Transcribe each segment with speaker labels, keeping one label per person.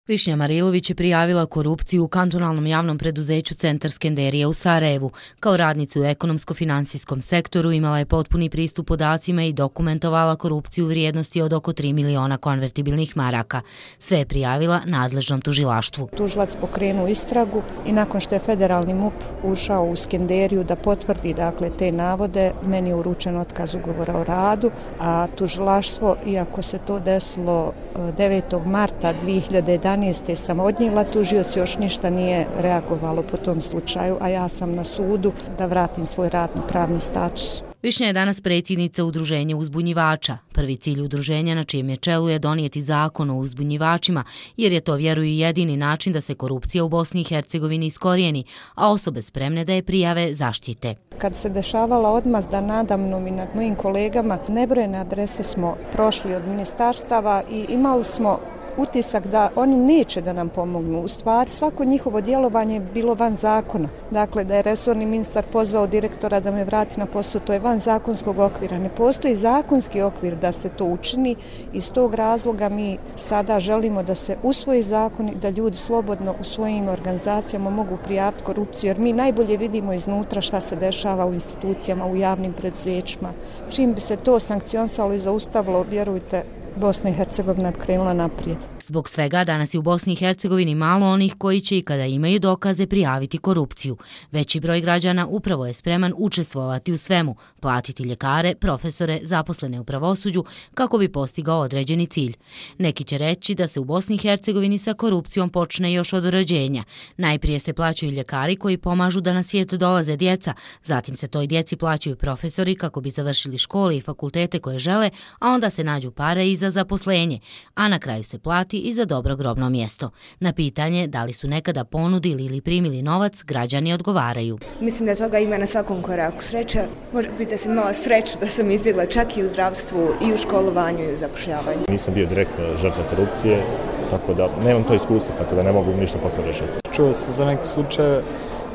Speaker 1: Višnja Marilović je prijavila korupciju u kantonalnom javnom preduzeću Centar Skenderija u Sarajevu. Kao radnica u ekonomsko-finansijskom sektoru imala je potpuni pristup podacima i dokumentovala korupciju u vrijednosti od oko 3 miliona konvertibilnih maraka. Sve je prijavila nadležnom tužilaštvu.
Speaker 2: Tužilac pokrenuo istragu i nakon što je federalni MUP ušao u Skenderiju da potvrdi te navode, meni je uručen otkaz ugovora o radu, a tužilaštvo, iako se to desilo 9. marta 2011. sam odnijela, tužioc još ništa nije reagovalo po tom slučaju, a ja sam na sudu da vratim svoj radno-pravni status.
Speaker 1: Višnja je danas predsjednica Udruženja uzbunjivača. Prvi cilj udruženja na čijem je čelu je donijeti zakon o uzbunjivačima, jer je to, vjeruju, jedini način da se korupcija u Bosni i Hercegovini iskorijeni, a osobe spremne da je prijave zaštite.
Speaker 2: Kad se dešavala odmazda nadamnom i nad mojim kolegama, nebrojene adrese smo prošli od ministarstava i imali smo utisak da oni neće da nam pomognu. U stvari, svako njihovo djelovanje je bilo van zakona. Dakle, da je resorni ministar pozvao direktora da me vrati na posao, to je van zakonskog okvira. Ne postoji zakonski okvir da se to učini. Iz tog razloga mi sada želimo da se usvoji zakon i da ljudi slobodno u svojim organizacijama mogu prijaviti korupciju, jer mi najbolje vidimo iznutra šta se dešava u institucijama, u javnim preduzećima. Čim bi se to sankcionisalo i zaustavilo, vjerujte, Bosna i Hercegovina krenula naprijed.
Speaker 1: Zbog svega danas je u Bosni i Hercegovini malo onih koji će i kada imaju dokaze prijaviti korupciju. Veći broj građana upravo je spreman učestvovati u svemu, platiti ljekare, profesore, zaposlene u pravosuđu kako bi postigao određeni cilj. Neki će reći da se u Bosni i Hercegovini sa korupcijom počne još od rođenja. Najprije se plaćaju ljekari koji pomažu da na svijet dolaze djeca, zatim se toj djeci plaćaju profesori kako bi završili škole i fakultete koje žele, a onda se nađu pare i za zaposlenje, a na kraju se plati i za dobro grobno mjesto. Na pitanje da li su nekada ponudili ili primili novac, građani odgovaraju.
Speaker 3: Mislim da toga ima na svakom koraku. Sreća, može biti da sam imala sreću da sam izbjegla čak i u zdravstvu, i u školovanju, i u zapošljavanju.
Speaker 4: Nisam bio direktno žrtva korupcije, tako da nemam to iskustvo, tako da ne mogu ništa posle rešiti.
Speaker 5: Čuo sam za neke slučaje,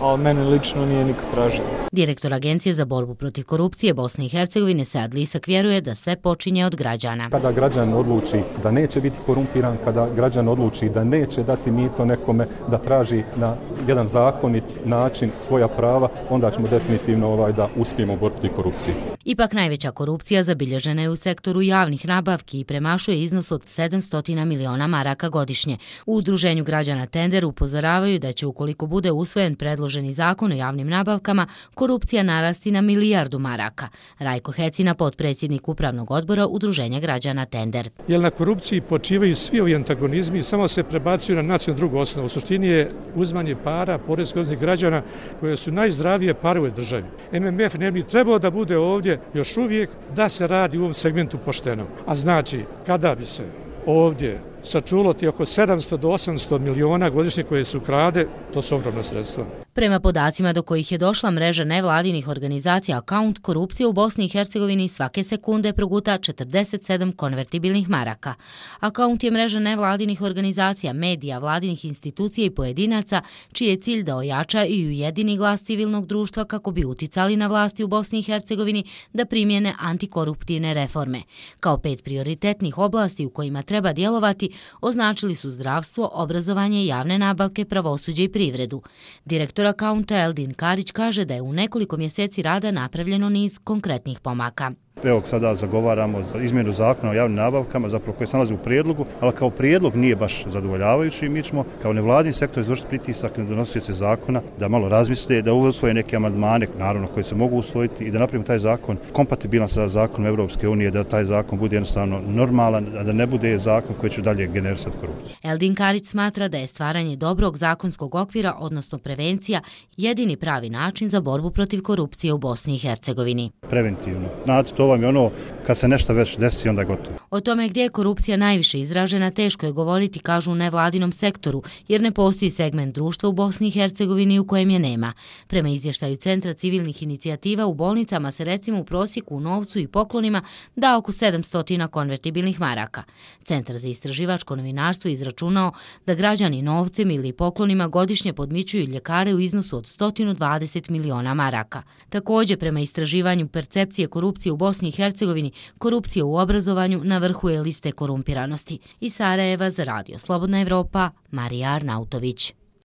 Speaker 5: ali mene lično nije niko tražio.
Speaker 1: Direktor Agencije za borbu protiv korupcije Bosne i Hercegovine Sead Lisak vjeruje da sve počinje od građana.
Speaker 6: Kada građan odluči da neće biti korumpiran, kada građan odluči da neće dati mito nekome, da traži na jedan zakonit način svoja prava, onda ćemo definitivno da uspijemo u borbi protiv korupcije.
Speaker 1: Ipak najveća korupcija zabilježena je u sektoru javnih nabavki i premašuje iznos od 700 miliona maraka godišnje. U Udruženju građana Tender upozoravaju da će, ukoliko bude usvojen predloženi zakon o javnim nabavkama, korupcija narasti na 1 milijardu maraka. Rajko Hecina, potpredsjednik upravnog odbora Udruženja građana Tender.
Speaker 7: Jer na korupciji počivaju svi ovi antagonizmi i samo se prebacuju na nacionalnu drugu osnovu. U suštini je uzmanje para poreskih obveznika građana koje su najzdravije pare u državi. MMF ne bi trebao da bude ovdje još uvijek da se radi u ovom segmentu pošteno. A znači, kada bi se ovdje sačulo ti oko 700 do 800 miliona godišnje koje su krade, to su ogromna sredstva.
Speaker 1: Prema podacima do kojih je došla mreža nevladinih organizacija Account, korupcija u Bosni i Hercegovini svake sekunde proguta 47 konvertibilnih maraka. Account je mreža nevladinih organizacija, medija, vladinih institucija i pojedinaca, čiji je cilj da ojača i ujedini glas civilnog društva kako bi uticali na vlasti u Bosni i Hercegovini da primjene antikoruptivne reforme. Kao 5 prioritetnih oblasti u kojima treba djelovati označili su zdravstvo, obrazovanje, javne nabavke, pravosuđe i privredu. Direktor Accounta Eldin Karić kaže da je u nekoliko mjeseci rada napravljeno niz konkretnih pomaka.
Speaker 8: Evo sada zagovaramo za izmjenu zakona o javnim nabavkama, zapravo koje se nalazi u prijedlogu, ali kao prijedlog nije baš zadovoljavajući. Mi ćemo kao nevladin sektor izvršiti pritisak na donosioce zakona da malo razmisle, da usvoje neke amandmane, naravno koji se mogu usvojiti i da napravimo taj zakon kompatibilan sa zakonom Europske unije, da taj zakon bude jednostavno normalan, a da ne bude zakon koji će dalje generisati korupciju.
Speaker 1: Eldin Karić smatra da je stvaranje dobrog zakonskog okvira, odnosno prevencija, jedini pravi način za borbu protiv korupcije u Bosni i Hercegovini.
Speaker 8: Preventivno. To vam je ono, kad se nešto već desi, onda je gotovo.
Speaker 1: O tome gdje je korupcija najviše izražena teško je govoriti, kažu u nevladinom sektoru, jer ne postoji segment društva u Bosni i Hercegovini u kojem je nema. Prema izvještaju Centra civilnih inicijativa, u bolnicama se recimo u prosjeku u novcu i poklonima da oko 700 konvertibilnih maraka. Centar za istraživačko novinarstvo izračunao da građani novcem ili poklonima godišnje podmićuju ljekare u iznosu od 120 miliona maraka. Također, prema istraživanju percepcije korupcije u Bosni Bosni i Hercegovini korupcija u obrazovanju na vrhu je liste korumpiranosti. Iz Sarajeva za Radio Slobodna Evropa, Marija Arnautović.